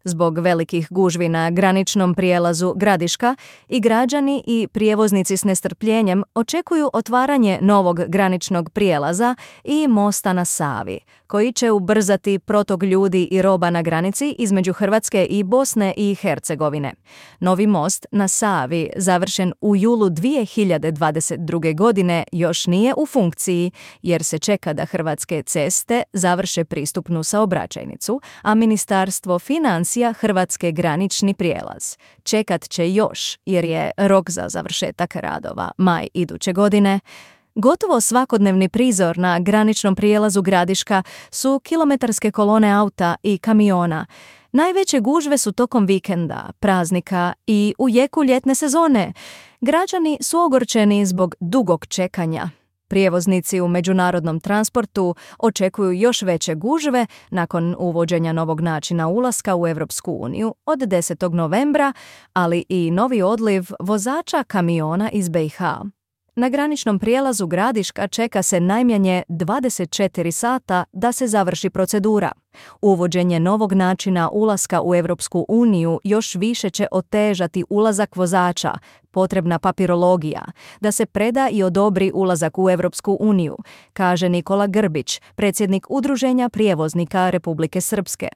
Zbog velikih gužvi na graničnom prijelazu Gradiška i građani i prijevoznici s nestrpljenjem očekuju otvaranje novog graničnog prijelaza i mosta na Savi, koji će ubrzati protok ljudi i roba na granici između Hrvatske i Bosne i Hercegovine. Novi most na Savi, završen u julu 2022. godine, još nije u funkciji jer se čeka da Hrvatske ceste završe pristupnu saobraćajnicu, a Ministarstvo financija Hrvatske granični prijelaz. Čekat će još jer je rok za završetak radova maj iduće godine. Gotovo svakodnevni prizor na graničnom prijelazu Gradiška su kilometarske kolone auta i kamiona. Najveće gužve su tokom vikenda, praznika i u jeku ljetne sezone. Građani su ogorčeni zbog dugog čekanja. Prijevoznici u međunarodnom transportu očekuju još veće gužve nakon uvođenja novog načina ulaska u Europsku uniju od 10. novembra, ali i novi odliv vozača kamiona iz BiH. Na graničnom prijelazu Gradiška čeka se najmanje 24 sata da se završi procedura. Uvođenje novog načina ulaska u Europsku uniju još više će otežati ulazak vozača, potrebna papirologija, da se preda i odobri ulazak u Europsku uniju, kaže Nikola Grbić, predsjednik Udruženja prijevoznika Republike Srpske.